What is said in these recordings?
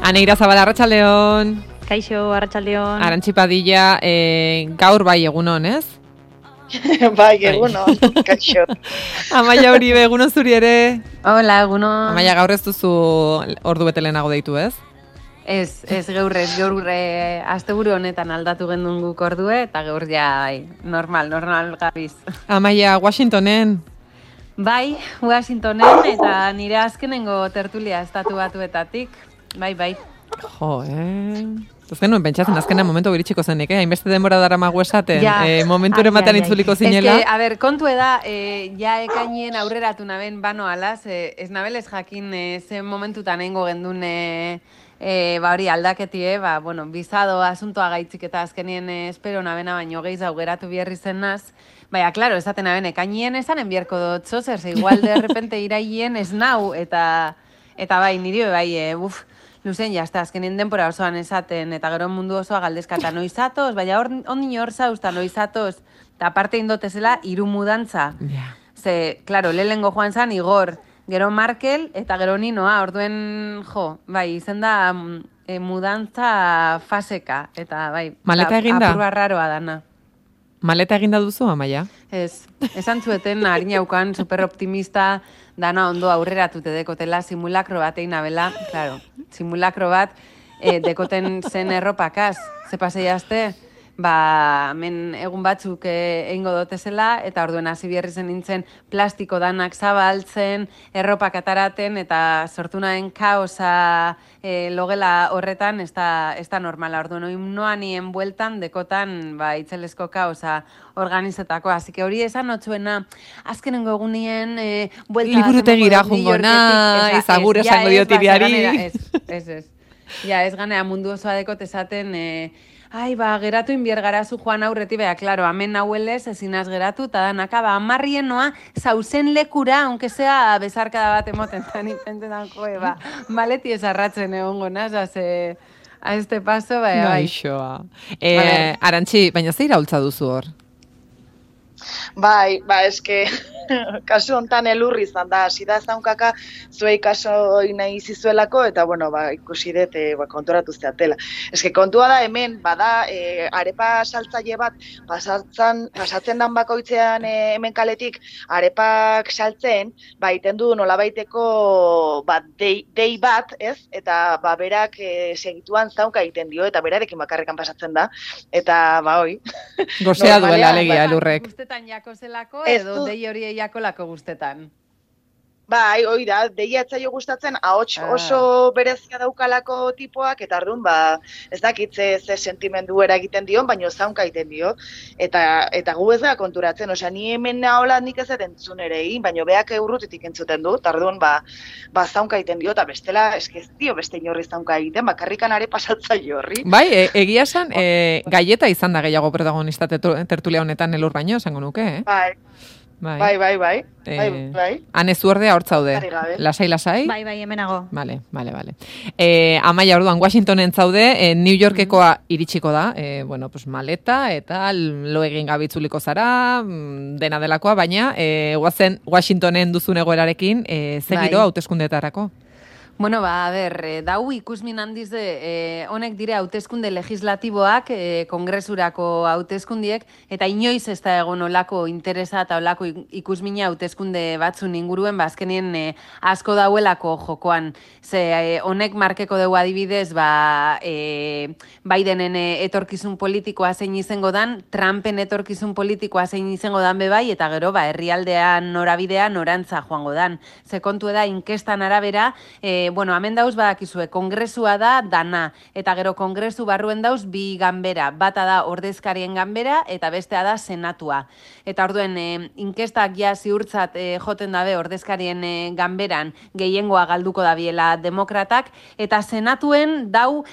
Aneira Zabala, arratsaldeon. Kaixo, arratsaldeon. Arantxi Padilla, gaur bai egunon, ez? Bai, egunon, kaixo. Amaia Uribe, egunon zuri ere. Hola, egunon. Amaia, gaur ez duzu ordu bete lehenago deitu, ez? Ez gaur asteburu honetan aldatu gendun guk ordue, eta gaur ja normal gabiz. Amaia, Washingtonen. Bai, Washingtonen, eta nire azkenengo tertulia estatu batuetatik. Bai. Jo, Ez genuen pentsatzen azkenean momentu iritsiko zenik, hainbeste denbora daramagu esaten, momenturen batean itzuliko zinela. Ez que, a ber, kontu eda, ja ekainien aurreratu naben bano alaz, ez nabelez jakin zen momentutan eingo gendun hori aldaketie, bizado asuntoa gaitzik eta azkenien espero nabena baino gehiz augeratu biherri zen naz. Baina, klaro, esaten naben, ekainien esanen bierko dut zozer, igual de repente iraien ez nau, eta bai, niri bai, luzen jazta, azkenien denpora osoan esaten, eta gero mundu osoa galdezkata noizatoz, baina ondin hor zauzta noizatoz, eta aparte indotezela, hiru mudantza. Yeah. Ze, klaro, lehengo joan zan, Igor, gero Markel, eta gero Ninoa, orduen, bai, izen da mudantza faseka, eta bai, maleta eginda? Apurra raroa dana. Maleta eginda duzu, Amaia? Ez, esan zueten, harinaukan, superoptimista, dana ondo aurreratute dekotela, simulakro bat egin abela, claro, simulakro bat dekoten zen erropakaz, ze pasei azte, men egun batzuk egingo dotezela, eta orduen hasi bierri zen nintzen plastiko danak zabaltzen, erropak ataraten, eta sortu nahen kaosa logela horretan, ez da normala. Orduen noa nien bueltan, dekotan itzelesko kaosa organizetako. Así que hori esan notzuena, azkenengo egunien buelta... Liburutegira jungo naiz, agur esango diotiriari. Ez. Ja, ez ganea mundu osoa dekot esaten... geratu inbiergarazu joan aurreti, klaro, amen nahuelez ezinaz geratu, eta danaka, amarrien noa, zauzen lekura, aunque sea bezarkada bat emoten, eta nintentetan maleti esarratzen egongo naz, a este paso, bai. Gaixoa. Arantxi, baina zeira hultza duzu hor? Bai, eske, kasu hontan elurri izan da, hasi da zaunkaka zuei kaso nahi zizuelako, eta ikusi dut konturatu zeatela. Eske kontua da hemen, bada arepa saltzaile bat, pasatzen dan bakoitzean hemen kaletik arepak saltzen, iten du nolabaiteko dei bat, ez? Eta berak segituan zaunka egiten dio, eta berarekin bakarrekan pasatzen da, eta hoi. Gozea duela alegia elurrek. Guztetan jako zelako, edo dei hori jakolako guztetan? Bai, hoi da, deia etzaio gustatzen, ahots oso berezia daukalako tipoak, eta ardun, ez dakit ze sentimendu egiten dion, baina zaunka egiten dio, eta gu ez da konturatzen, osea, ni hemen nahola nik ez entzun ere egin, baina beak urrutitik entzuten du, eta ardun, zaunka egiten dio, eta bestela, ez dio beste inorri zaunka egiten, bakarrikan are pasatzaile horri. Bai, egia esan, gaieta izan da gehiago protagonista tertulia honetan elur baino, esango nuke, Bai. Hane zuordea hor zaude. Lasai? Bai, hemenago. Vale. Amaia, orduan, Washingtonen zaude, New Yorkekoa iritsiko da, maleta eta lo egin gabitzuliko zara, dena delakoa, baina guazen Washingtonen duzun egoerarekin, zegiro hauteskundeetarako? Dau ikusmin handiz honek dire hauteskunde legislatiboak, kongresurako hauteskundiek, eta inoiz ez da egon olako interesa eta olako ikusmina hauteskunde batzun inguruen, azkenien asko dauelako jokoan. Honek markeko dugu adibidez, Bidenen etorkizun politikoa zein izango dan, Trumpen etorkizun politikoa zein izango dan bebai, eta gero, herrialdean norabidea norantza joango dan. Ze kontu da, inkestan arabera, hemen dauz badakizue, kongresua da dana, eta gero kongresu barruen dauz bi ganbera, bata da ordezkarien ganbera, eta bestea da senatua. Eta orduen, inkestak ja ziurtzat joten dabe ordezkarien ganberan gehiengoa galduko dabiela demokratak, eta senatuen dau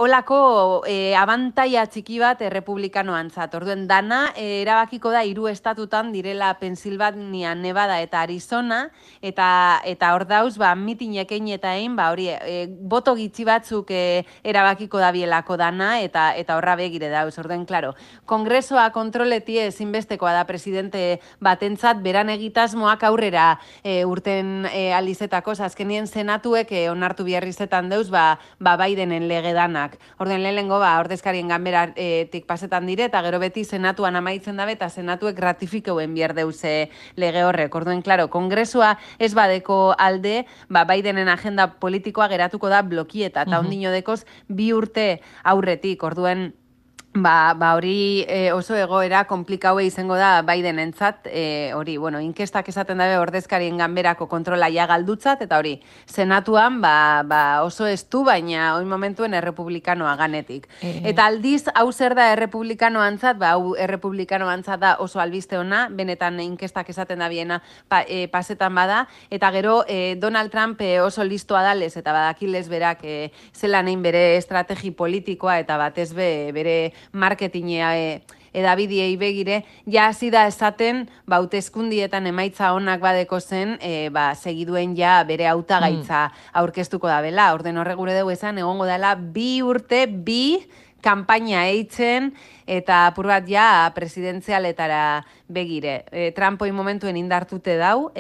olako abantaia txiki bat republikanoantzat. Orduen dana erabakiko da 3 estatutan direla Pensilvania, Nevada eta Arizona, eta hor dauz mitinekein eta egin, hori, boto gitxi batzuk erabakiko dabielako dana, eta horra begire dauz. Orden, klaro, kongresoa kontroleti ezinbestekoa da presidente batentzat, beran egitasmoak aurrera urten alizetako, azkenien senatuek onartu biharrizetan deuz, Bidenen legedanak. Orden, lehenengo, ordezkarien ganberatik pasetan dire, eta gero beti senatuan amaitzen dabe, eta senatuek ratifikeuen bihar deuz lege horrek. Orden, klaro, kongresua ez badeko alde, Bidenen agenda politikoa geratuko da blokieta, eta ondino dekoz 2 urte aurretik. Orduen, hori oso egoera komplikaue izango da Bidenentzat, hori, inkestak esaten dabe ordezkarien ganberako kontrola ja galdutzat, eta hori, senatuan oso estu, baina oin momentuen errepublikanoa ganetik. Eta aldiz, hau zer da errepublikanoantzat, hau errepublikanoantzat da oso albiste ona, benetan inkestak esaten da biena pasetan bada, eta gero Donald Trump oso listoa dalez, eta badakilez berak zelan egin bere estrategi politikoa, eta batez bere marketingea edabidiei begire, ja hasi da esaten, hauteskundietan emaitza onak badeko zen, segiduen ja bere hautagaitza aurkeztuko da bela. Orden horre gure dugu esan, egongo dela 2 urte, 2 kanpaina eitzen, eta apur bat ja presidentzialetara begire. Trumpoi momentuen indartute dau,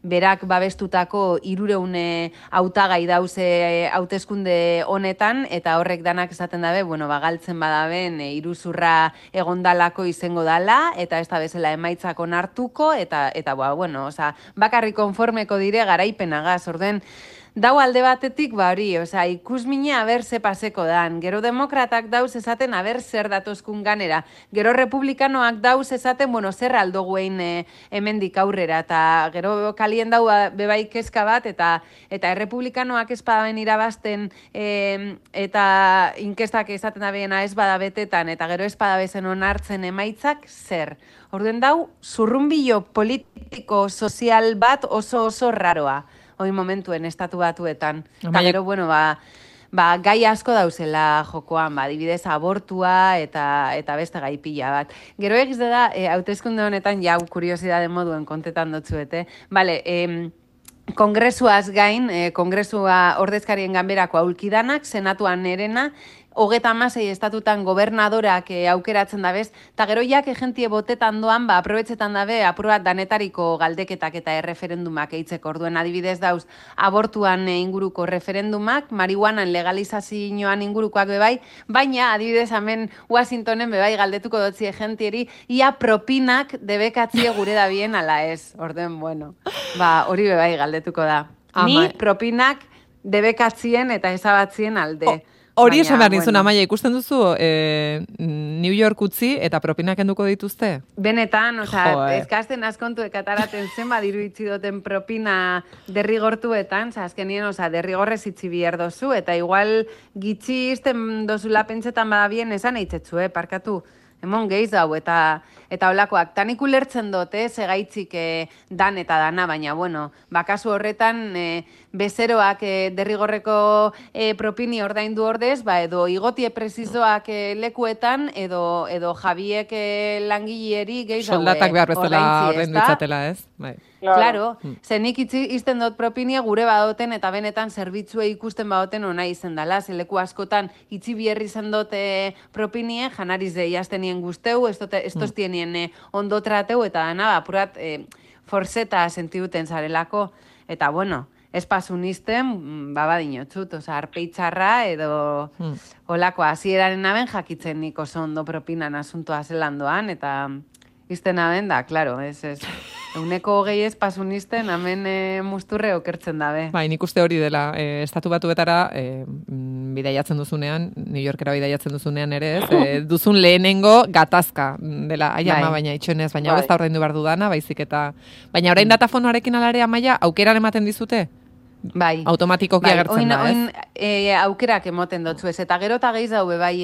berak babestutako 300 hautagai dauze hauteskunde honetan, eta horrek danak esaten dabe, galtzen badaben iruzurra egondalako izango dala, eta ez da bezala emaitzak onartuko, eta bakarri konformeko dire garaipenagaz, orden, dau alde batetik, hori, ikusmina aber ze paseko dan. Gero demokratak dauz esaten aber zer datozkun ganera. Gero republikanoak dauz esaten, zer aldoguen hemendik aurrera. Eta gero kalien dau bebai kezka bat, eta errepublikanoak ez badaben irabazten, eta inkestak esaten da behena ez badabetetan, eta gero ez badabezen onartzen emaitzak, zer. Orduen dau, zurrunbilo politiko sozial bat oso raroa. Hoi momentuen estatu batuetan. Eta gero, gai asko dauzela jokoan, adibidez abortua eta beste gai pila bat. Gero egiz da, hauteskunde honetan, jau kuriosidade moduen kontetan dotzuete. Kongresuaz gain, kongresua ordezkarien ganberako aulkidanak, senatuan nerena, 36 estatutan gobernadorak aukeratzen dabez, eta gero jak egentie botetan doan, aprobetzetan dabe, aprobat danetariko galdeketak eta erreferendumak eitzeko. Orduen adibidez dauz, abortuan inguruko referendumak, marihuanan legalizazioan ingurukoak bebai, baina adibidez hemen Washingtonen bebai galdetuko dotzi egentieri, ia propinak debekatzie gure da bien ala ez. Orduen, hori bebai galdetuko da. Ni propinak debekatzien eta ezabatzien alde. Hori esan behar nizun, Amaia, ikusten duzu New York utzi eta propinak enduko dituzte? Benetan, ezkasten askontu ekataraten zen badiru itzi duten propina derrigortuetan, azkenien, derrigorrez itzi bihar dozu, eta igual gitxi izten dozula pentsetan badabien esan eitzetzu, parkatu. Hemon gehiz hau, eta olakoak, tanik ulertzen dute, segaitzik dan eta dana, baina, bakasu horretan, bezeroak derrigorreko propini ordaindu ordez, edo igotie presizoak lekuetan, edo jabiek langilieri gehiz hau soldatak behar bezala ordaindu itzatela, ez? Claro, zenik izten dut propinia gure badoten eta benetan zerbitzue ikusten badoten ona izen dala. Zeleku askotan itzi bierri zen dut propinie, janariz jaztenien guzteu, estoztienien ondo trateu, eta dana, apurat forseta sentiduten zarelako. Eta ez pasun izten, badinotzut, arpeitzarra edo olako hasieraren naben jakitzen nik oso ondo propinan asuntoa zelandoan, eta izten aben da, klaro, ez. Euneko 20 pasunisten, hemen musturre okertzen dabe. Nik uste hori dela, estatu batuetara bidaiatzen duzunean, New Yorkera bidaiatzen duzunean ere ez, duzun lehenengo gatazka dela, ama baina itxoenez, baina ez da ordaindu behar dudana, baizik eta... Baina orain datafonoarekin alare, Amaia, aukeran ematen dizute? Bai. Automatikoki agertzen da, ez? Aukerak emoten dotzu ez, eta gero eta gehiz daube bai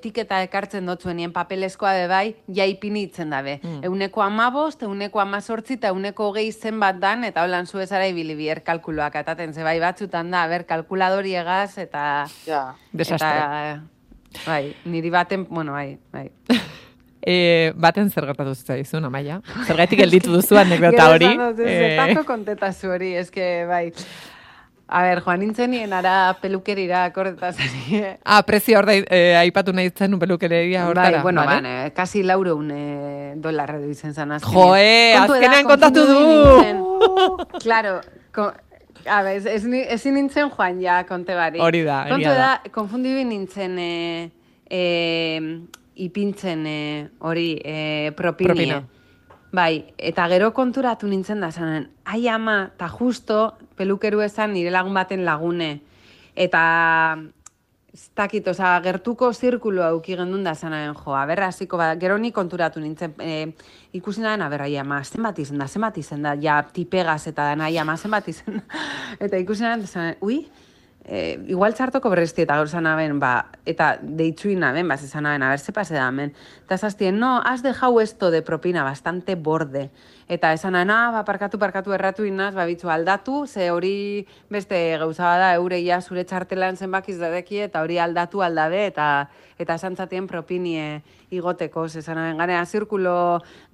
tiketa ekartzen dotzuenien papelezkoa bebai, jaipinitzen dabe. Euneko 15, euneko 18, eta euneko 20 zenbat dan, eta holan zu ezara ibili bier kalkuloak, ataten ze bai batzutan da, kalkuladori egaz, eta... Desastre. Bai, niri baten, bai. Baten zer gertatu zitzaizun, Amaia? Zergaitik gelditu duzu anekdota hori? Zetako kontetazu hori, eske, bai. A ber, joan nintzenien ara pelukerira korretazari. Prezio hor aipatu nahi zen pelukeria hortara. Bai, bueno, vale? kasi $400 edo izen zan azkenean. Joe, azkenean kontatu du! Claro, ezin nintzen joan ja, konte bari. Hori da, kontu da. Konfundibi nintzen ipintzen hori propinie. Bai, eta gero konturatu nintzen da zanen, ai ama, eta justo pelukeru esan nire lagun baten lagune. Eta, ez dakit, gertuko zirkulo auki gendun da zanen, jo, aberra hasiko, gero ni konturatu nintzen, ikusi nahen, aberra, ai ama, zenbat izen da, ja, tipegaz eta dana, ai ama, zenbat izen da. Eta ikusi nahen, zanen, igual txartoko berrezti eta gaur zanaben, eta deitzuin naben, zanaben, a ver, se pase da, men. Eta zaztien, no, has dejau esto de propina bastante borde. Eta esan parkatu erratu inaz, bitzu aldatu, ze hori beste gauza da, eureia zure txartelan zenbakiz dadeki, eta hori aldatu aldabe, eta esantzatien propinie igoteko, zezanaben, ganea,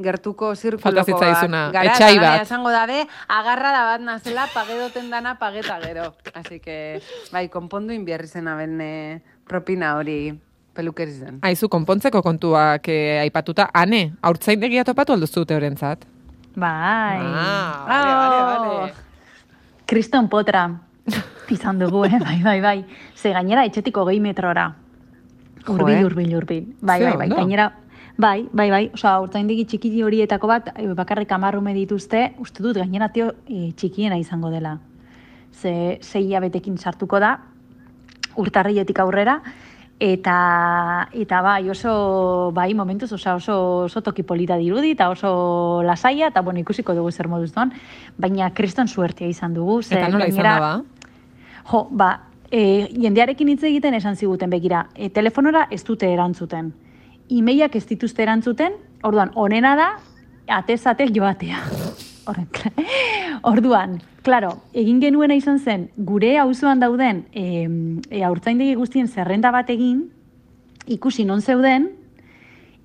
gertuko zirkuloko etxai bat. Esango dabe, agarra da bat nazela, pagedoten dana, pageta gero. Así que, bai, konpondu inbierri zenaben propina hori pelukerizen. Aizu, konpontzeko kontuak aipatuta, ane, haurtzaindegia topatu alduzute horrentzat? Bai. Vale. Kriston potra izan dugu, bai. Ze gainera etxetik 20 metrora. Urbil. Bai. Gainera, bai. Osa, urtzaindegi txiki horietako bat, bakarrik 10 dituzte, uste dut gainera txikiena izango dela. Ze 6 hilabetekin sartuko da, urtarriletik aurrera, eta bai, oso, bai, momentuz, oso toki polita dirudi, eta oso lasaia, eta bueno, ikusiko dugu zer moduz doan, baina kriston suertia izan dugu. Eta nola izan da, ba? Jendearekin hitz egiten esan ziguten begira, telefonora ez dute erantzuten. Emailak ez dituzte erantzuten, orduan, onena da, atez joatea. Orduan, klaro, egin genuena izan zen, gure auzoan dauden haurtzaindegi guztien zerrenda bat egin, ikusi non zeuden,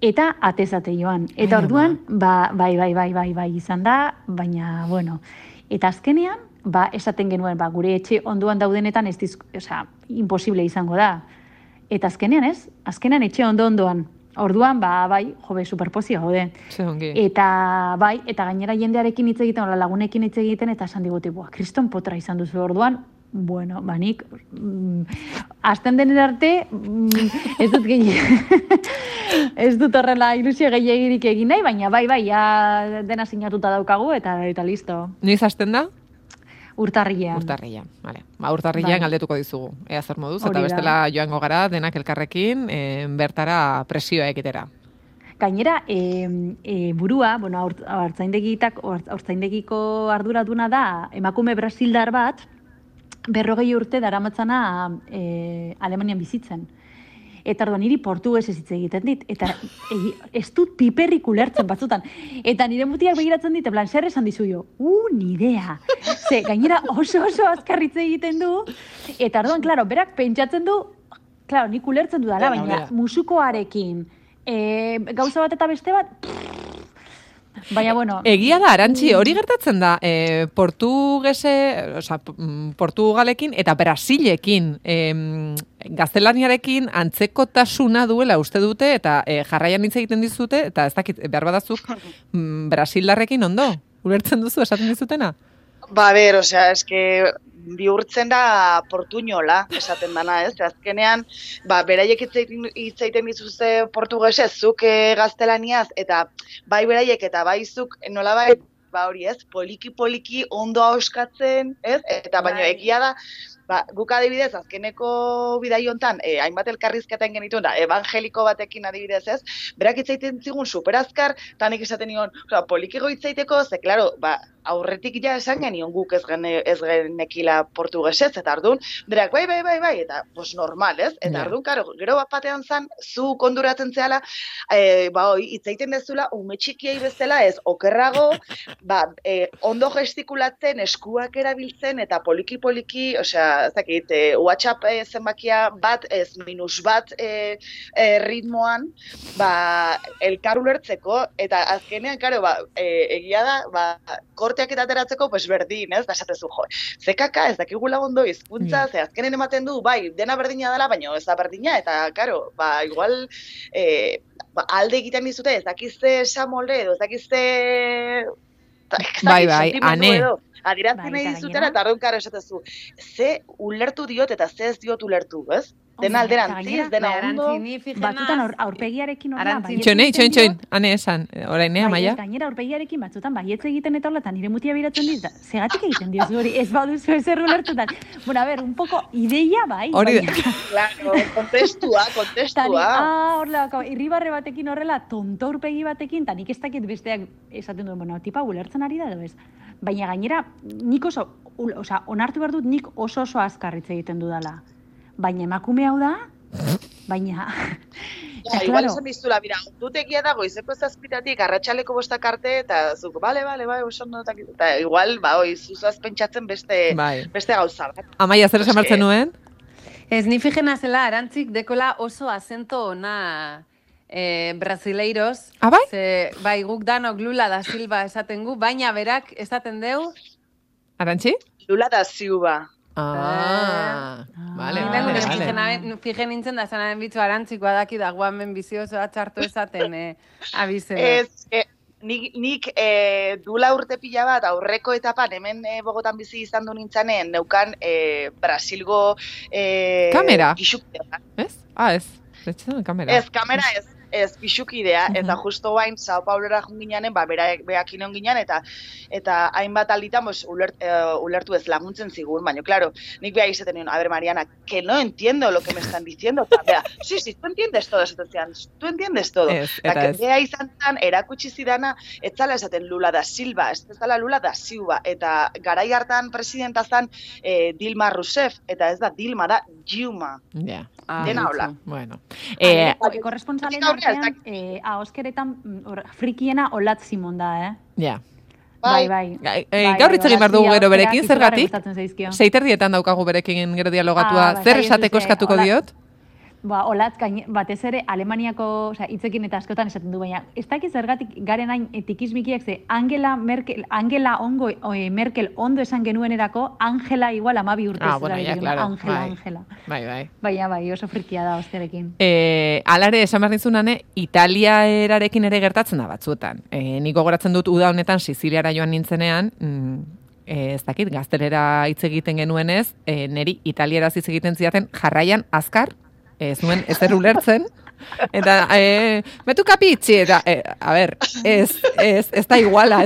eta atezate joan. Eta orduan, bai izan da, baina, bueno, eta azkenean, esaten genuen, gure etxe onduan daudenetan ez imposible izango da. Eta azkenean etxe ondoan. Orduan, bai, superpozio gaude. Eta, bai, eta gainera jendearekin hitz egiten, lagunekin hitz egiten, eta esan digute, kriston potra izan duzu orduan, bueno, nik, azten denen arte, ez dut horrela ilusio gehiagirik egin nahi, baina bai, ja dena sinatuta daukagu, eta listo. Noiz azten da? Urtarrilean, vale. Urtarrilean galdetuko dizugu, ea zer moduz, eta bestela joango gara denak elkarrekin bertara presioa ekitera. Gainera, burua, bueno, haurtzaindegiko arduraduna da, emakume brasildar bat, 40 urte daramatzana Alemanian bizitzen. Eta orduan niri portugesez hitz egiten dit, eta ez dut piperrik ulertzen batzutan. Eta nire mutiak begiratzen dit, zer esan dizu jo? Ni idea. Ze, gainera oso azkarritze egiten du, eta orduan, klaro, berak pentsatzen du, klaro, nik ulertzen du dala, baina musukoarekin, gauza bat eta beste bat, baina, bueno... Egia da, Arantxi, hori gertatzen da, Portugalekin eta Brasilekin, gaztelaniarekin antzekotasuna duela uste dute, eta jarraian hitz egiten dizute, eta ez dakit, behar badazuk, Brasildarrekin ondo? Ulertzen duzu, esaten dizutena? eske bihurtzen da portuñola, esaten dana, ez? Azkenean, beraiek hitz egiten dituzte portugesez, zuk gaztelaniaz, eta bai beraiek eta bai zuk nolabait, hori ez, poliki ondo ahoskatzen, ez? Eta baina egia da, guk adibidez, azkeneko bidai hontan, hainbat elkarrizketen genituen, evangeliko batekin adibidez ez, berak hitz egiten zigun superazkar, eta nik esaten nion, polikigo hitz egiteko, ze, klaro, aurretik ja esan genion guk ez genekila portugesez, eta ardun, berak, bai, eta, normal, ez? Eta ardun, gero bat batean zan, zu konduratzen zehala, hitz egiten dezula, ume txikiei bezala, ez, okerrago, ondo gestikulatzen, eskuak erabiltzen, eta poliki, zakit, WhatsApp zenbakia bat, ez minus bat ritmoan, elkar ulertzeko, eta azkenean, egia da, pasaporteak eta ateratzeko, pues berdin, ez? Da esatezu, jo, zekaka, ez dakigula ondo hizkuntza, ze azkenen ematen du, bai, dena berdina dela, baina ez da berdina, eta, karo, igual, alde egiten dizute, ez dakizte esamolde, edo ez dakizte... Bai, ane. Adiratzen nahi dizutera, eta arreun karo esatezu, ze ulertu diot eta ze ez diot ulertu, ez? Dena alderantziz, dena ondo. Batzutan aurpegiarekin horrela. Txoin, ane esan, orain, Amaia? Gainera aurpegiarekin batzutan baietz egiten eta horrela, eta nire mutia biratzen dit, zegatik egiten diozu hori, ez baduzu ezer ulertutan. Bueno, a ver, un poco ideia bai. Hori Claro, kontestua. Horrela, irribarre batekin horrela, tonto aurpegi batekin, eta nik ez dakit besteak esaten duen, bueno, tipa ulertzen ari da, edo ez? Baina gainera, nik onartu behar dut nik oso azkar hitz egiten dudala. Baina emakume hau da, baina... Igual esan biztula, mira, dutegia dago, izeko zazpitatik, arratsaleko 5 arte, eta zuk, bale, oso ondo, eta igual, zuzaz pentsatzen beste gauza bat. Amaia, zer esan martzen nuen? Ez ni fijena zela, Arantzik dekola oso azento ona brasileiros. Bai? Bai, guk danok Lula da Silva esaten gu, baina berak esaten deu... Arantzi? Lula da Silva. Vale. Fijen nintzen da zanaren bitzu Arantzikoa daki da guamen bizioso atxartu esaten abizena. Nik dula urte pila bat aurreko etapan hemen Bogotan bizi izan du nintzanen neukan Brasilgo kamera? Gixukidea. Ez? Ez. Kamera. Ez, kamera ez pixukidea, eta justo guain Sao Paulora junginean, beak inon ginean, eta hainbat alditan ulertu ez laguntzen zigun, baina, claro, nik beha izaten nion, a ver, Mariana, que no entiendo lo que me están diciendo, bea, sí, tú entiendes todo, tú entiendes todo. Eta beha izan zan, erakutsi zidana, ez zala esaten Lula da Silva, ez zala Lula da Silva, eta garai hartan presidenta zan Dilma Rousseff, eta ez da Dilma, da Dilma. Ja. Dena hola. Bueno. Korresponsalen artean, ahoskeretan frikiena Olat Simon da, Ja. Bai. Gaur hitz egin behar dugu gero berekin, zergatik? 6:30 daukagu berekin gero dialogatua. Zer esateko eskatuko diot? Olatz, batez ere, Alemaniako hitzekin eta askotan esaten du, baina ez dakiz zergatik garen hain tikizmikiak ze Angela Merkel ondo esan genuenerako, Angela igual 12 urtez. Angela. Bai. Baina, oso frikia da osterekin. Alare, esan behar dizunane, Italia erarekin ere gertatzen da batzuetan. Niko gogoratzen dut uda honetan Siziliara joan nintzenean, ez dakit, gaztelera hitz egiten genuenez, neri italieraz hitz egiten zidaten jarraian azkar, ez nuen ezer ulertzen, eta metu kapitzi, eta, a ber, ez da iguala.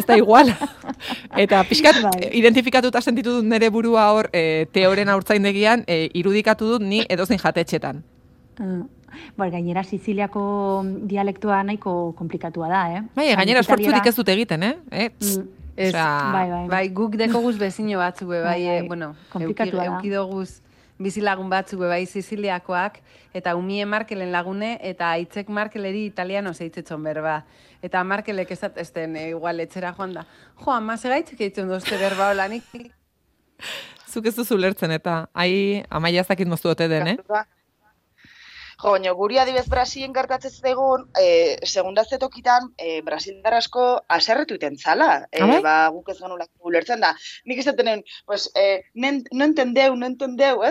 Eta pixkat, identifikatuta sentitu dut nire burua hor, teoren aurtzaindegian, irudikatu dut ni edozein jatetxetan. Gainera Siziliako dialektua nahiko komplikatua da, Gainera esfortzurik ez dut egiten, Bai, guk dekoguz bezino batzu, bueno, eukidoguz bizilagun batzuk bai Siziliakoak, eta umie Markelen lagune, eta aitzek Markeleri italiano zeitzetzon berba. Eta Markelek esatesten igual etxera joan da. Ama, segaitzek eitzen dozte berba hola, nik. Zuk ez duzu lertzen, eta Amaia ez dakit moztu ote den, baina guri adibez Brasilen gertatzen egun, segundazte tokitan, Brasildar asko aserretu iten zala. Guk ez genulak ulertzen da. Nik esaten, pues, no entendeu,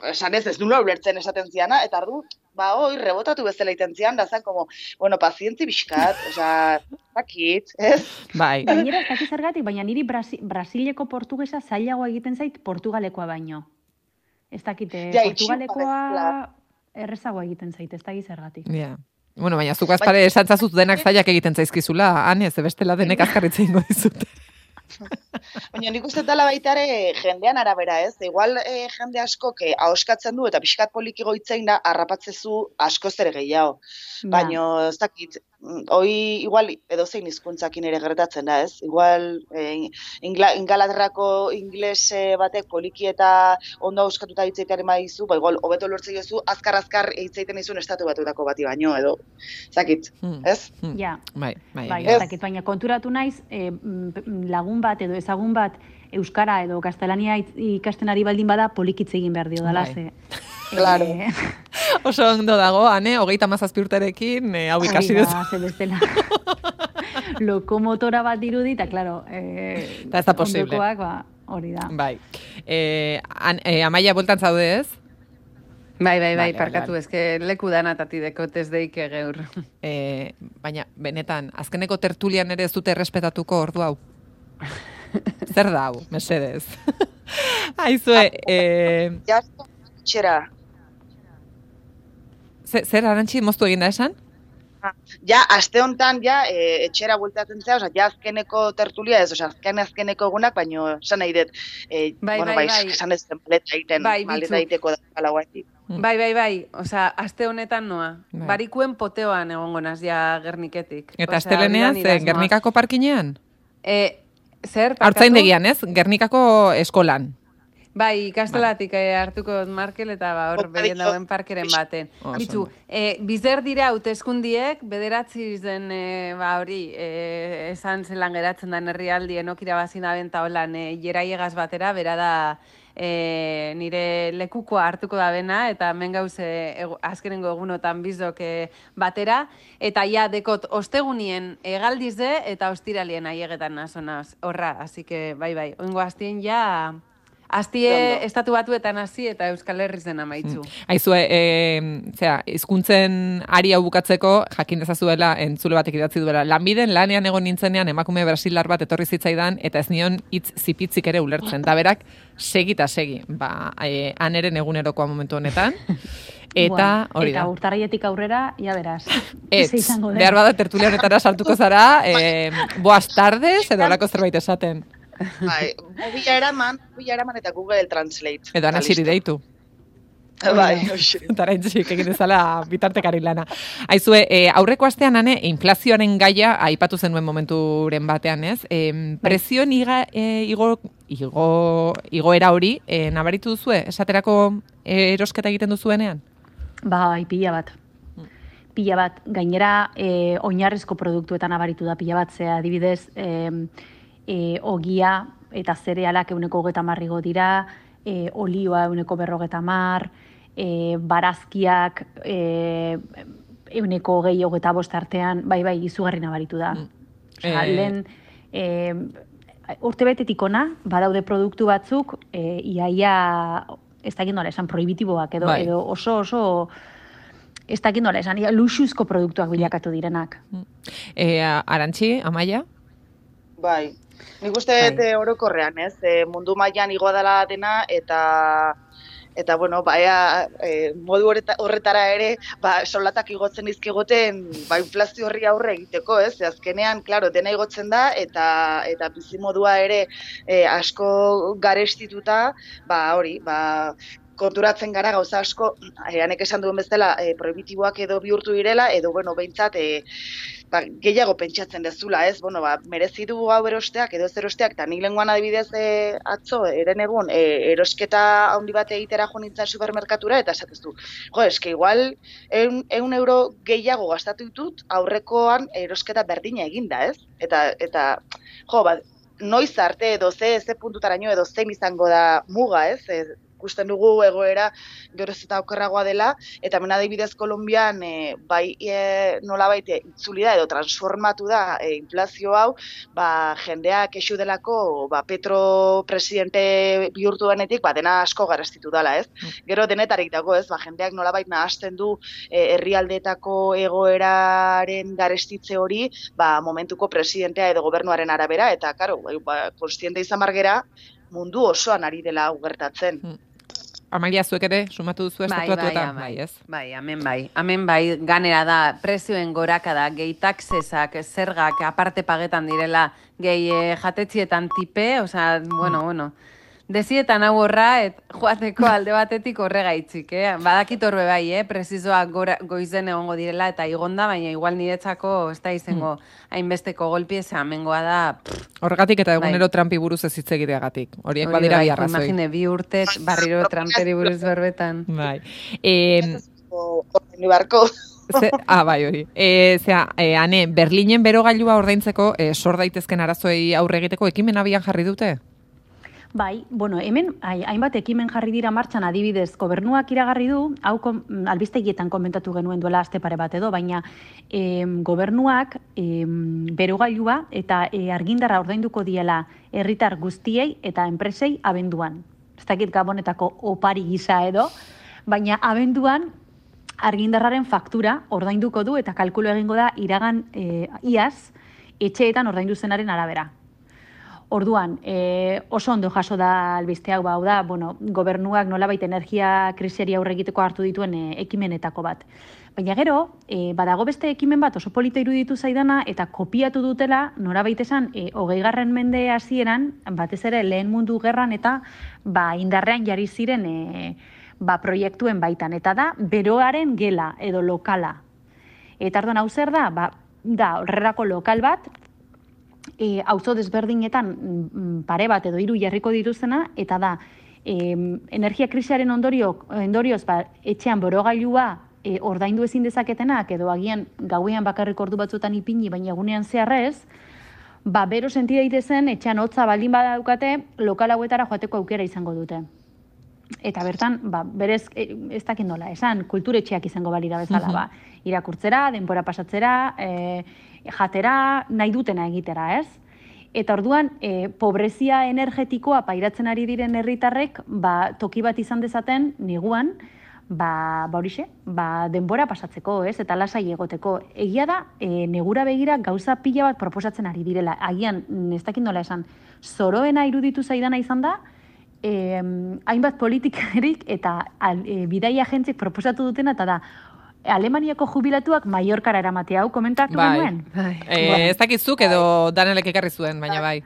esan ez nula ulertzen esaten ziana, eta ardu, hoi, rebotatu bezala iten zian, da zan, como, bueno, pazientzi bizkat, zakit, ez? Bai. Gainera, ez dakit zergatik, baina niri Brasileko portugesa zailagoa egiten zait Portugalekoa baino. Ez dakite, Portugalekoa errezagoa egiten zait, ez dakit zergatik. Ja. Bueno, baina zuk azpare esantzazut denak zailak egiten zaizkizula, ez bestela denek azkarritzen ingo dizute. Baina nik uste dela baita ere jendean arabera, ez? Igual jende asko ahoskatzen du eta pixkat poliki goitzein da harrapatzezu askoz ere gehiago. Baina ez dakit, igual edozein hizkuntzakin ere gertatzen da, ez? Igual Ingalaterrako ingles batek poliki eta ondo ahoskatuta hitzeitaren badizu, igual hobeto lortzen jozu azkar hitzeiten izun estatu batuetako bati baino, edo. Zakit, ez? Ja. Bai. Ez dakit, baina konturatu naiz lagun bat edo ezagun bat euskara edo gaztelania ikasten ari baldin bada polikitze egin behar dio dala, ze. Claro. Oso ondo dago, 37 urterekin, hau ikasi dut. Ze bestela. lokomotora bat dirudi, eta, klaro, eta ez da posible. ondokoak, hori da. Bai. Amaia, bueltan zaude ez? Bai, Vale, parkatu, ezke leku danatati dekotez deike geur. Baina, benetan, azkeneko tertulian ere ez dute errespetatuko ordu hau. Zer da hau, mesedez. Aizue, Ja, txera. zer arantxi moztu egin da esan? Ja, aste hontan ja, etxera bueltatzen zea, oza, ja azkeneko tertulia ez, oza, azkeneko egunak, baino esan nahi dut, Bai. esan ez den maleta egiten, maleta egiteko da palauatik. Bai, osea, aste honetan noa. Bai. Barikuen poteoan egongo naz ja Gerniketik. Eta astelenean, Gernikako parkinean? Zer, parkatu? Artzaindegian, ez? Gernikako eskolan. Bai, ikastolatik hartuko Markel eta hor behien dauen parkeren baten. Bitzu, bizer dira hauteskundiek, bederatzi zen hori, esan zelan geratzen da herrialdien okirabazin da benta holan jeraiegaz batera, bera da nire lekukoa hartuko da bena, eta hemen gauze azkenengo egunotan bizok batera, eta ja dekot ostegunien egaldize eta ostiralien aiegetan nazonaz, horra, así que bai, oingo hastien ja... Aztie estatu batuetan hasi eta Euskal Herriz den amaitzu. Aizue, hizkuntzen ari hau bukatzeko, jakin dezazuela, entzule batek idatzi duela, lanbiden lanean egon nintzenean emakume brasilar bat etorri zitzaidan, eta ez nion hitz zipitzik ere ulertzen. Da berak, segi, aneren egunerokoa momentu honetan. Eta hori da. Eta urtarrietik aurrera, ja beraz. Behar bada tertulia honetara sartuko zara, boas tardes, edo olako zerbait esaten. Bai, bila eraman eta Google Translate. Edo anasiri deitu. Bai, hoxe. Eta araintzik egin dezala bitartekari lana. Aizue, aurreko astean, inflazioaren gaia aipatu zenuen momenturen batean, ez? Prezioen igoera hori, nabaritu duzue? Esaterako erosketa egiten duzuenean? Bai, pila bat. Pila bat. Gainera, oinarrizko produktuetan nabaritu da pila bat, zea adibidez, ogia eta zerealak 130 igo dira, olioa 150, barazkiak 125 artean, bai, izugarri nabaritu da. Lehen, urtebetetik ona, badaude produktu batzuk, iaia, ez dakit nola esan, prohibitiboak edo oso ez dakit nola esan, luxuzko produktuak bilakatu direnak. Arantxi, Amaia? Bai. Nik uste orokorrean, ez? Mundu mailan igoa dela dena eta bueno, modu horretara ere, soldatak igotzen dizkigoten, inflazio horri aurre egiteko, ez? Azkenean, claro, dena igotzen da eta bizimodua ere asko garestituta, konturatzen gara gauza asko, hanek esan duen bezala, prohibitiboak edo bihurtu direla, edo, bueno, behintzat, gehiago pentsatzen dezula, ez? Bueno, merezi du hau erosteak, edo ez erosteak, eta nik lenguan adibidez atzo, eren egun, erosketa handi bat egitera jo nintzen supermerkatura, eta esatezu, eske igual, 100 euro gehiago gastatu ditut, aurrekoan erosketa berdina eginda, ez? Eta noiz arte edo ze puntutaraino edo zein izango da muga, ez? Ikusten dugu egoera geroz eta okerragoa dela, eta hemen adibidez Kolonbian nolabait itzuli da edo transformatu da inflazio hau, jendea kexu delako Petro presidente bihurtu denetik, dena asko garestitu dela, ez? Gero denetarik dago, ez? Jendeak nolabait nahasten du herrialdeetako egoeraren garestitze hori, momentuko presidentea edo gobernuaren arabera, eta karo, konstiente izan margera, mundu osoan ari dela gertatzen. Amalia, zuek ere, sumatu duzu estatuatuetan, ez? Bai, hemen bai, ganera da, prezioen goraka da, gehi taxesak, zergak, aparte pagetan direla, gehi jatetzietan tipe, osea, bueno, dezietan hau horra, joateko alde batetik horregaitzik, Badakit horbe bai, prezizoak goizen egongo direla, eta igonda, baina igual niretzako ez da izango hainbesteko golpi, hemengoa da... Horregatik eta egunero Trumpi buruz ez hitz egiteagatik. Horiek badira bi arrazoi. Imagine, 2 urtez, barriro Trumperi buruz berbetan. Bai. Barko. Bai, hori. Ane, Berlinen berogailua ordaintzeko sor daitezken arazoei aurre egiteko ekimen abian jarri dute? Bai, bueno, hemen hainbat ekimen jarri dira martxan, adibidez, gobernuak iragarri du, hau albistegietan komentatu genuen duela aste pare bat edo, baina gobernuak berogailua eta argindarra ordainduko diela herritar guztiei eta enpresei abenduan. Ez dakit Gabonetako opari gisa edo, baina abenduan argindarraren faktura ordainduko du eta kalkulu egingo da iragan iaz etxeetan ordaindu zenaren arabera. Orduan, oso ondo jaso da albiste hau, hau da, bueno, gobernuak nolabait energia krisiari aurre egiteko hartu dituen ekimenetako bat. Baina gero, badago beste ekimen bat oso polita iruditu zaidana eta kopiatu dutela, norabait esan, 20. mende hasieran, batez ere lehen mundu gerran eta indarrean jarri ziren proiektuen baitan. Eta da, beroaren gela edo lokala. Eta orduan hau zer da? Da, horrelako lokal bat, auzo desberdinetan pare bat edo 3 jarriko dituzena, eta da, energia krisiaren ondorioz etxean borogailua ordaindu ezin dezaketenak, edo agian gauean bakarrik ordu batzuetan ipini, baina egunean zeharrez, bero senti daitezen etxean hotza baldin badaukate, lokal hauetara joateko aukera izango dute. Eta bertan, berez, ez dakit nola, esan, kulturetxeak izango balira bezala, irakurtzera, denbora pasatzera, jatera, nahi dutena egitera, ez? Eta orduan, pobrezia energetikoa pairatzen ari diren herritarrek, toki bat izan dezaten, neguan, horixe, denbora pasatzeko, ez? Eta lasai egoteko. Egia da, negura begira gauza pila bat proposatzen ari direla. Agian, ez dakit nola esan, zoroena iruditu zaidana izan da, hainbat politikarik eta bidaia agentzik proposatu dutena, eta da, Alemaniako jubilatuak Mallorcara eramatea, hau komentatu genuen? Ez dakizuk edo Danelek ekarri zuen, baina bai.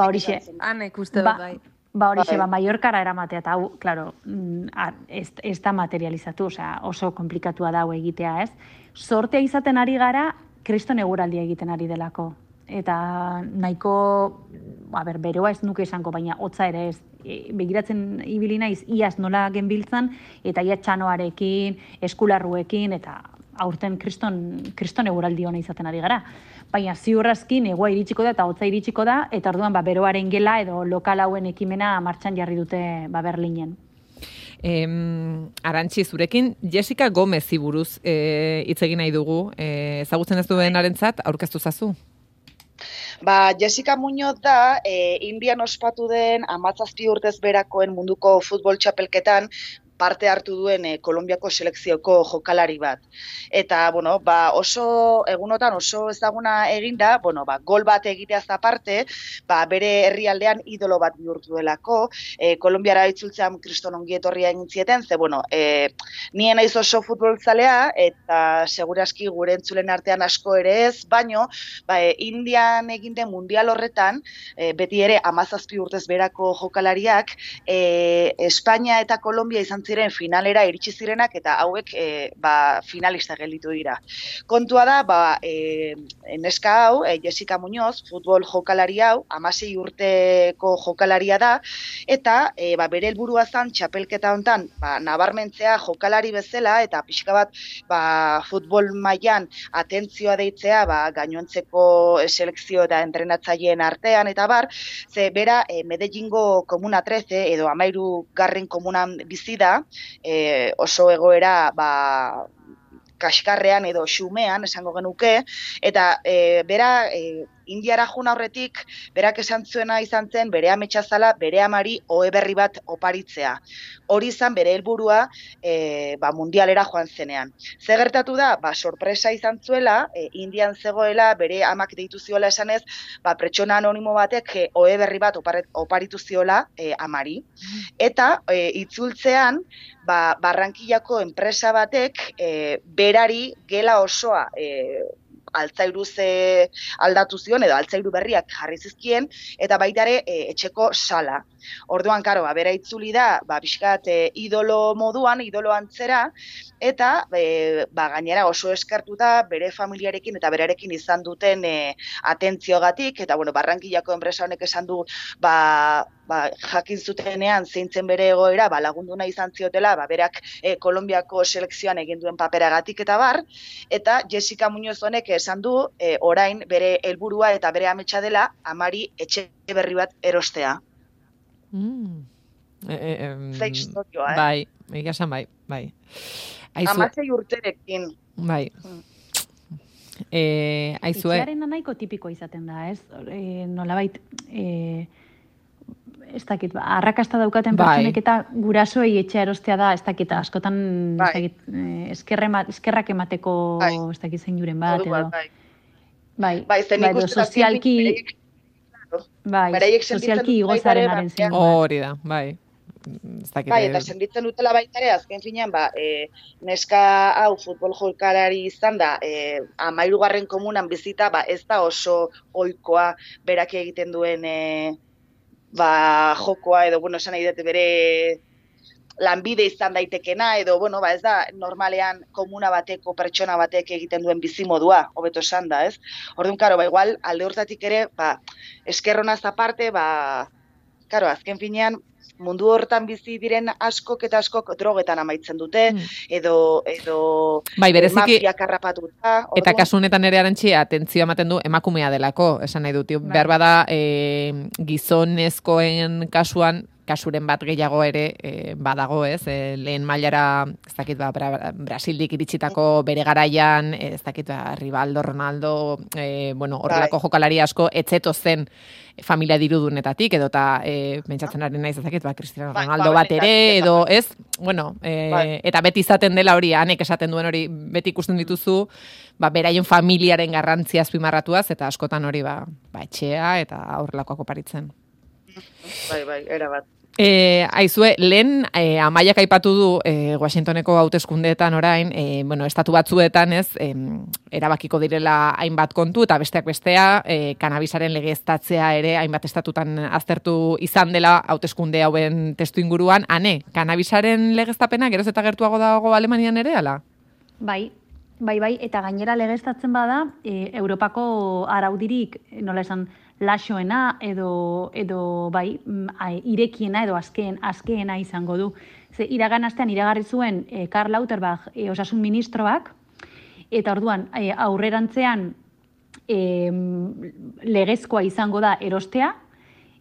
Horixe. Hanek uste dut bai. Horixe, Mallorcara eramatea, eta hau, klaro, ez da materializatu, oso komplikatua da hau egitea, ez? Sortea izaten ari gara, kriston eguraldia egiten ari delako. Eta nahiko, beroa ez nuke esango, baina hotza ere ez, begiratzen ibili naiz iaz nola genbiltzan, eta ia txanoarekin, eskularruekin, eta aurten kriston eguraldi hona izaten ari gara. Baina ziurrazki negua iritsiko da eta hotza iritsiko da, eta orduan beroaren gela edo lokal hauen ekimena martxan jarri dute Berlinen. Arantxi, zurekin Jessica Gomezi buruz hitz egin nahi dugu, ezagutzen ez duenarentzat aurkeztu zazu? Jessica Muñoz da, Indian ospatu den 17 urtez berakoen munduko futbol txapelketan parte hartu duen Kolonbiako selekzioko jokalari bat. Eta, oso egunotan oso ezaguna eginda, gol bat egiteaz aparte, bere herrialdean idolo bat bihurtu delako, Kolonbiara itzultzean kriston ongi etorria egin zieten, nien naiz oso futbolzalea, eta segurazki gure entzulen artean asko ere ez, baino, Indian egin den mundial horretan, beti ere 17 urtez berako jokalariak, Espainia eta Kolombia izan ziren finalera iritsi zirenak eta hauek finalista gelditu dira. Kontua da, neska hau, Jessica Muñoz, futbol jokalari hau, 16 urteko jokalaria da, eta bere helburua zen txapelketa hontan nabarmentzea jokalari bezala eta pixka bat futbol mailan atentzioa deitzea gainontzeko selekzio eta entrenatzaileen artean eta ze bera Medellingo komuna 13 edo 13. komunan bizi da, oso egoera kaskarrean edo xumean esango genuke, eta bera Indiara jun aurretik, berak esan zuena izan zen, bere ametsa zala, bere amari ohe berri bat oparitzea. Hori izan bere helburua mundialera joan zenean. Ze gertatu da, sorpresa izan zuela, Indian zegoela, bere amak deitu ziola esanez, pertsona anonimo batek ohe berri bat oparitu ziola amari. Eta itzultzean, Barrankillako enpresa batek berari gela osoa altzairuz aldatu zion, edo altzairu berriak jarri zizkien, eta baita ere etxeko sala. Orduan, bera itzuli da, pixkat idolo moduan, idolo antzera, eta gainera oso eskertuta bere familiarekin eta berarekin izan duten atentziogatik, eta Barrankillako enpresa honek esan du, jakin zutenean zeintzen bere egoera, lagundu nahi izan ziotela, berak Kolonbiako selekzioan egin duen paperagatik eta Jessica Muñoz honek esan du, orain bere helburua eta bere ametsa dela, amari etxe berri bat erostea. Ze historioa, Bai, egia esan bai. 16 urterekin. Bai. Aizue... Etxearen nahiko tipikoa izaten da, ez? Nolabait, ez dakit, arrakasta daukaten pertsonek eta gurasoei etxea erostea da, ez dakit, askotan, ez dakit, eskerrak emateko, ez dakit zein juren bat, edo. Edo sozialki igozarenaren zein bat. Hori da, bai. Eta senditzen dutela baita ere, azken finean, neska hau futbol jokalari izan da, 13. komunan bizita, ez da oso ohikoa berak egiten duen jokoa, edo, esan nahi dut bere lanbide izan daitekena, edo, ez da normalean komuna bateko, pertsona batek egiten duen bizimodua, hobeto esan da, ez? Orduan, karo, igual, alde hortatik ere, eskerronaz aparte, azken finean, mundu hortan bizi diren askok eta askok drogetan amaitzen dute, edo mafiak harrapatuta. Eta kasu honetan ere arantxi, atentzio ematen du emakumea delako, esan nahi dut. Behar bada gizonezkoen kasuren bat gehiago ere badago, ez? Lehen mailara, ez dakit, Brasildik iritsitako bere garaian, ez dakit, Rivaldo, Ronaldo, horrelako jokalari asko, etzeto zen familia dirudunetatik, edo eta pentsatzen ari naiz, ez dakit, Cristiano Ronaldo bat ere, edo, ez? Eta beti izaten dela hori, anek esaten duen hori, beti ikusten dituzu, beraien familiaren garrantzia azpimarratuaz, eta askotan hori, etxea, eta horrelakoak oparitzen. Bai, erabat. Aizue, lehen Amaiak aipatu du Washingtoneko hauteskundeetan orain, estatu batzuetan ez, erabakiko direla hainbat kontu, eta besteak bestea, kanabisaren legeztatzea ere hainbat estatutan aztertu izan dela hauteskunde hauen testu inguruan. Ane, kanabisaren legeztapena geroz eta gertuago dago Alemanian ere, ala? Bai, eta gainera legeztatzen bada, Europako araudirik, nola esan, laxoena edo irekiena edo azkeena izango du. Ze iragan astean iragarri zuen Karl Lauterbach osasun ministroak, eta orduan aurrerantzean legezkoa izango da erostea,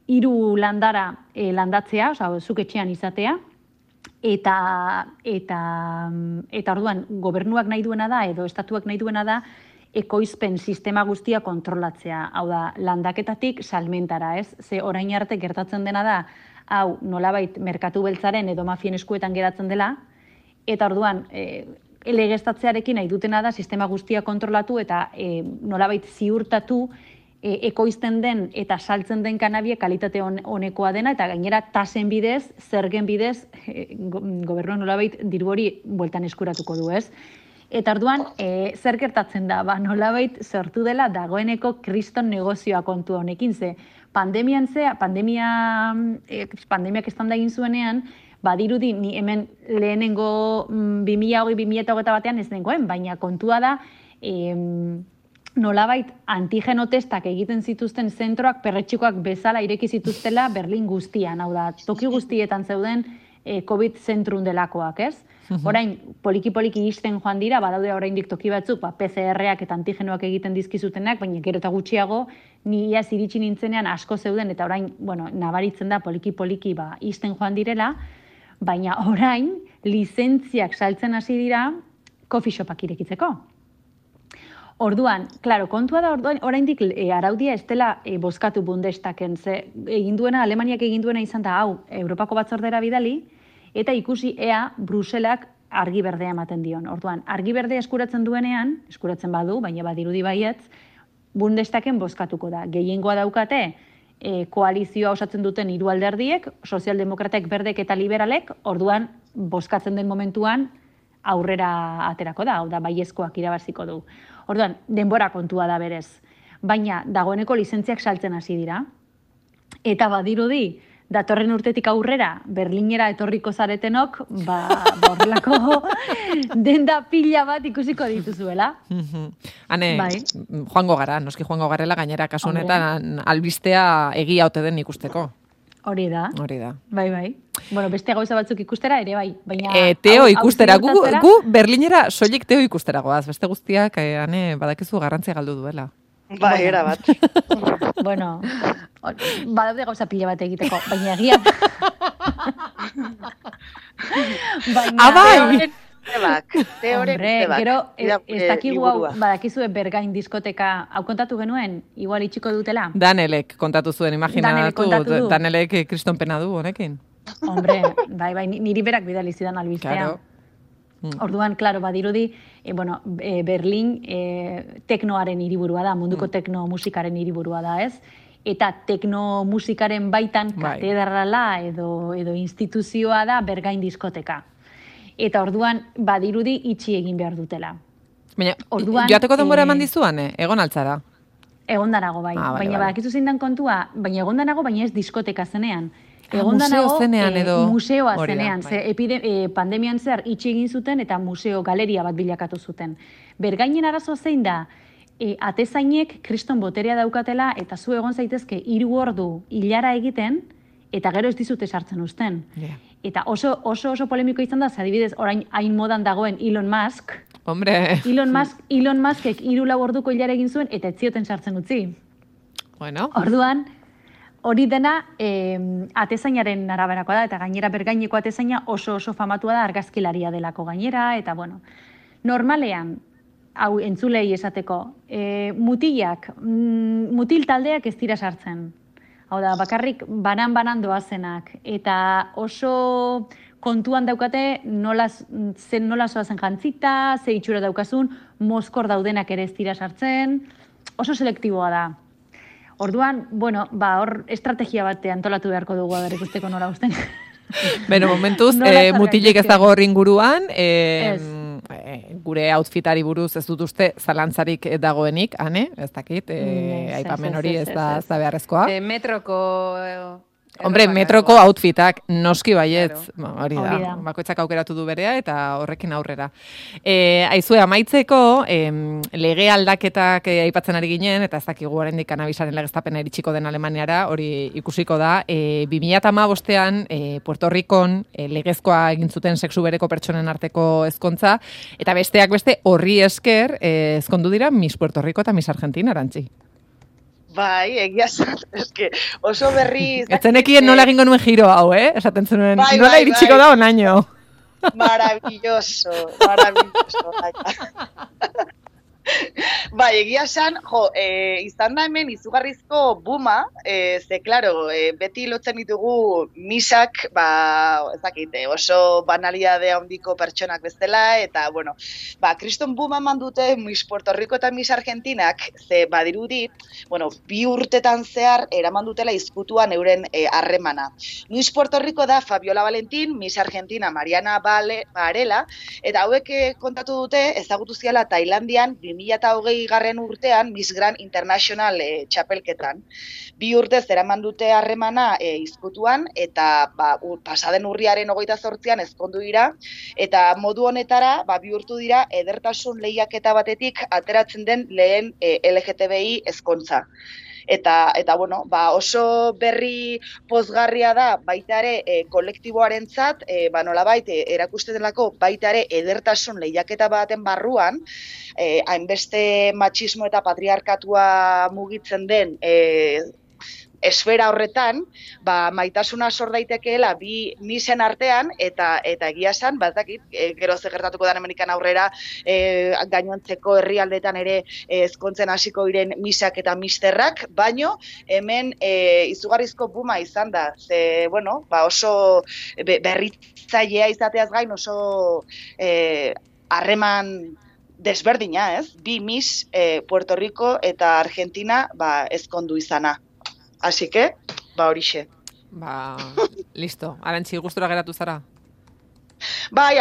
3 landara landatzea, zuk etxean izatea, eta orduan gobernuak nahi duena da edo estatuak nahi duena da ekoizpen sistema guztia kontrolatzea. Hau da, landaketatik salmentara, ez? Ze orain arte gertatzen dena da, hau nolabait merkatu beltzaren edo mafien eskuetan geratzen dela, eta orduan legeztatzearekin nahi dutena da sistema guztia kontrolatu eta nolabait ziurtatu ekoizten den eta saltzen den kanabia kalitate honekoa dena, eta gainera tasen bidez, zergen bidez, gobernuak nolabait diru hori bueltan eskuratuko du, ez? Eta orduan, zer gertatzen da, nolabait sortu dela dagoeneko kriston negozioa kontu honekin, ze pandemiak estan da egin zuenean, badirudi ni hemen lehenengo 2020-2021 batean ez nengoen, baina kontua da, nolabait antigeno testak egiten zituzten zentroak perretxikoak bezala ireki zituztela Berlin guztian, hau da, toki guztietan zeuden COVID zentrun delakoak, ez? Orain, poliki-poliki isten joan dira, badaude oraindik toki batzuk, PCR-ak eta antigenoak egiten dizkizutenak, baina gero eta gutxiago, ni iaz iritsi nintzenean asko zeuden, eta orain, nabaritzen da poliki-poliki isten joan direla, baina orain, lizentziak saltzen hasi dira, coffee shopak irekitzeko. Orduan, klaro, kontua da oraindik araudia ez dela bozkatu Bundestagen, ze Alemaniak egin duena izan da, hau, Europako batzordera bidali, eta ikusi ea Bruselak argi berdea ematen dion. Orduan, argi berdea eskuratzen duenean, eskuratzen badu, baina badirudi baietz, Bundestagen bozkatuko da. Gehiengoa daukate, koalizioa osatzen duten 3 alderdiek, sozialdemokratek, berdek eta liberalek, orduan, bozkatzen den momentuan, aurrera aterako da, hau da, baiezkoak irabaziko du. Orduan, denbora kontua da berez. Baina, dagoeneko lizentziak saltzen hasi dira, eta badirudi, datorren urtetik aurrera, Berlinera etorriko zaretenok, horrelako denda pila bat ikusiko dituzuela. Hane, joango gara, noski joango garela, gainera kasu honetan albistea egia ote den ikusteko. Hori da. Bai. Bueno, beste gauza batzuk ikustera ere bai. Teo ikustera, gu Berlinera soilik teo ikustera goaz, beste guztiak, badakizu garrantzia galdu duela. Bai, era bat. Bueno, badaude gauza pila bat egiteko, baina egia... Bai! Teoren Hombre, gero, ez dakigu hau, badakizue Bergain diskoteka, hau kontatu genuen, igual itxiko dutela? Danelek kontatu zuen, Danelek kontatu imaginatu, du. Danelek kriston pena du honekin. Hombre, bai, niri berak bidali zidan albistea. Claro. Orduan, klaro, badirudi, Berlin teknoaren hiriburua da, munduko tekno musikaren hiriburua da, ez? Eta tekno musikaren baitan katedrala edo instituzioa da Bergain diskoteka. Eta orduan, badirudi itxi egin behar dutela. Baina, orduan, joateko denbora eman dizuan, egon altzara? Egon bai. Baina badakizu zein dan kontua, baina egon danago, baina ez diskoteka zenean. Egon museo zenean edo... Museoa zenean, pandemian zer itxi egin zuten eta museo galeria bat bilakatu zuten. Bergainen arazoa zein da, atezainek kriston boterea daukatela eta zu egon zaitezke 3 ordu hilara egiten eta gero ez dizute sartzen uzten. Yeah. Eta oso polemiko izan da, adibidez, orain hain modan dagoen Elon Musk. Hombre. Elon Muskek 3-4 orduko hilara egin zuen eta ez zioten sartzen utzi. Bueno. Orduan, hori dena atezainaren araberakoa da, eta gainera Bergaineko atezaina oso famatua da argazkilaria delako gainera, eta bueno, normalean, hau entzulei esateko, mutil taldeak ez dira sartzen. Hau da, bakarrik banan doazenak, eta oso kontuan daukate nola zoazen jantzita, ze itxura daukazun, mozkor daudenak ere ez dira sartzen, oso selektiboa da. Orduan, bueno, hor estrategia bat antolatu beharko dugu ber ikusteko nola usten. Beno, momentuz, mutilek ez dago hor inguruan, gure outfitari buruz ez dut uste zalantzarik dagoenik, ane? Ez dakit, aipamen hori ez da beharrezkoa. Metroko... Hombre, metroko outfitak noski baietz, hori da. da, bakoitzak aukeratu du berea eta horrekin aurrera. Aizue, amaitzeko, lege aldaketak aipatzen ari ginen, eta ez dakigu oraindik kanabisaren legeztapena iritsiko den Alemaniara, hori ikusiko da. 2015ean, Puerto Ricon legezkoa egin zuten sexu bereko pertsonen arteko ezkontza, eta besteak beste horri esker ezkondu dira Miss Puerto Rico eta Miss Argentina, Arantzi. Bai, egia zat, eske oso berri... Etzenekien nola egingo nuen giro hau, esaten zenuen, nola iritsiko da onaino. Maravilloso. Bai, egia esan, izan da hemen izugarrizko buma, ze, klaro, beti lotzen ditugu misak, ez dakit, oso banalidade handiko pertsonak bezala, eta, bueno, kriston buma eman dute Miss Puerto Rico eta Miss Argentinak, ze badirudi, bueno, 2 urtetan zehar eraman dutela izkutuan euren harremana. Miss Puerto Rico da Fabiola Valentín, Miss Argentina Mariana Varela, eta hauek kontatu dute ezagutu ziala Tailandian 2020 urtean Miss Grand International txapelketan. 2 urtez eraman dute harremana izkutuan, eta pasaden urriaren 28an ezkondu dira, eta modu honetara bihurtu dira edertasun lehiaketa batetik ateratzen den lehen LGTBI ezkontza. Eta bueno, oso berri pozgarria da baita ere kolektiboarentzat, nolabait erakusten delako baita ere edertasun lehiaketa baten barruan, hainbeste matxismo eta patriarkatua mugitzen den esfera horretan, maitasuna sor daitekeela bi misen artean, eta egia esan, dakit, gero ze gertatuko den Amerikan aurrera, gainontzeko herrialdetan ere ezkontzen hasiko diren misak eta misterrak, baino hemen izugarrizko buma izan da, ze, bueno, oso berritzailea izateaz gain, oso harreman desberdina, ez? 2 Miss Puerto Rico eta Argentina ezkondu izana. Así que, horixe. Listo. Arantzi, gustura geratu zara? Bai,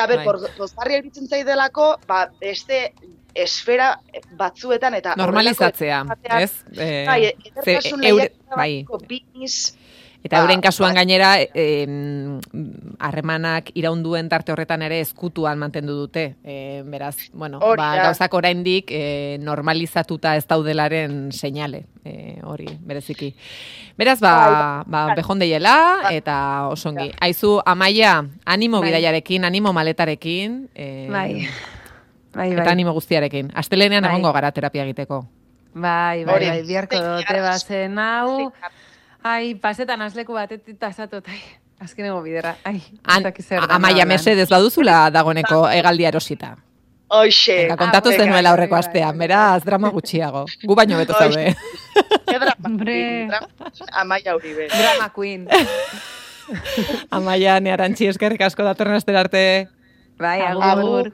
pozgarria iruditzen zaidelako, beste esfera batzuetan eta... Normalizatzea, ez? Bai, edertasun lehiaketako 2 Miss... Eta euren kasuan gainera, harremanak iraunduen tarte horretan ere ezkutuan mantendu dute. Beraz, bueno, gauzak oraindik normalizatuta ez daudelaren seinale, hori, bereziki. Beraz, behondeiela eta osongi. Aizu, Amaia, animo bidaiarekin, animo maletarekin. Bai. Eta animo guztiarekin. Astelenean egongo gara terapia egiteko. Bai, biharko dote bazen hau. Ai, pasetan azleku batetik tasatu, azkeneko bidera. Ai, Amaia mesedez baduzula dagoeneko hegaldia erosita. Hoxe. Kontatu zenuela aurreko astean, beraz, drama gutxiago. Gu baino beto zaude. Amaia Uribe. Drama queen. Amaia, Nearantxi, eskerrik asko datorren astera arte. Bai, agur.